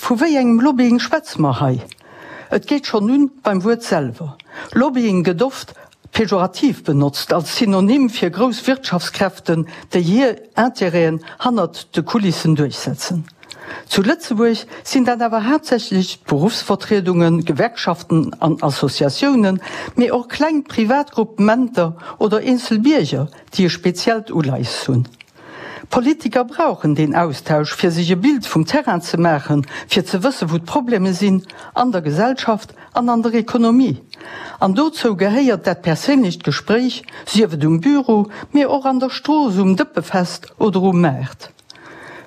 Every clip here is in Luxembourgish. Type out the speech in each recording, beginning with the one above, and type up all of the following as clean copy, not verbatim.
Vu wéi engem Lobbying schwätze mer hei? Et geet schonn un beim Wuert selwer. Lobbying gëtt oft pejorativ benotzt, als Synonym fir grouss Wirtschaftskräften, déi hir Intérêten hannert de Kulissen duerchsetzen. Zu Lëtzebuerg sinn dat awer haaptsächlech d'Beruffsvertriedungen, Gewerkschaften an Associatiounen, mee och kleng privat Gruppementer oder eenzel Bierger, déi e speziellt Uleies hunn. Politiker brauchen deen Austausch, fir sech e Bild vum Terrain ze maachen, fir ze wëssen, wou d'Probleme sinn, an der Gesellschaft an an der Ekonomie. An dozou gehéiert dat perséinlecht Gespréich, sief et um Büro, mee och an der Strooss, um Dëppefest oder um Maart.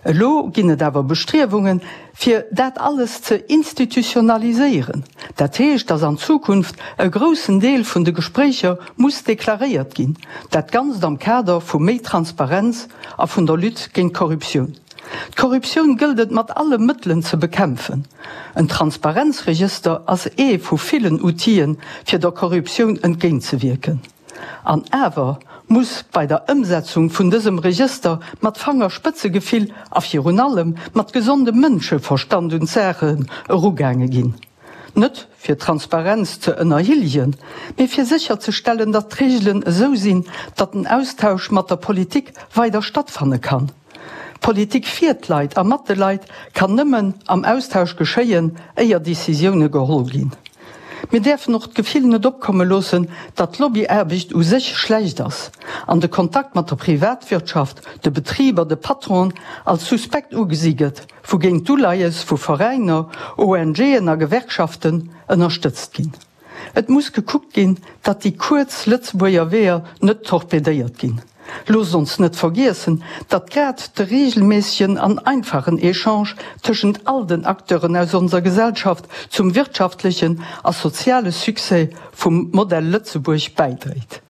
Elo ginn et awer Bestriewungen, fir dat alles ze institutionaliséieren. Dat heescht, dass an Zukunft e groussen Deel vun de Gespréicher muss deklaréiert ginn, dat Ganzt am Kader vu méi Transparenz a vun der Lutte géint d'Korruptioun. D'Korruptioun gëllt et mat alle Mëttelen ze bekämpfen. En Transparenzregëster ass ee vu villen Outile fir der Korruptioun entgéintzewierken. An awer muss bei der Ëmsetzung vun dësem Regëster mat Fangerspëtzegefill a virun allem mat gesondem Mënscheverstand un d'Saache erugaange ginn. Net fir d'Transparenz ze ënnerhilljen, mee fir sécherzestellen, datt d'Regelen esou sinn, datt den Austausch mat der Politik weider stattfanne kann. Politik fir d'Leit a mat de Leit kann nëmmen am Austausch geschéien, éier Decisioune geholl ginn. Mir däerfen och d'Gefill net opkomme loossen, datt Lobbyaarbecht u sech schlecht ass an de Kontakt mat der Privatwirtschaft, de Betriber, de Patronen als suspekt ugesi gëtt, wougéint d'Uleies vu Veräiner, ONGen a Gewerkschaften ënnerstëtzt ginn. Et muss gekuckt ginn, datt déi kuerz Lëtzebuerger Weeër net torpedéiert ginn. Loosst ons net vergiessen, datt grad de reegelméissegen an einfachen Echange tëschent all den Acteuren aus onser Gesellschaft zum wirtschaftlechen a soziale Succès vum Modell Lëtzebuerg bäidréit.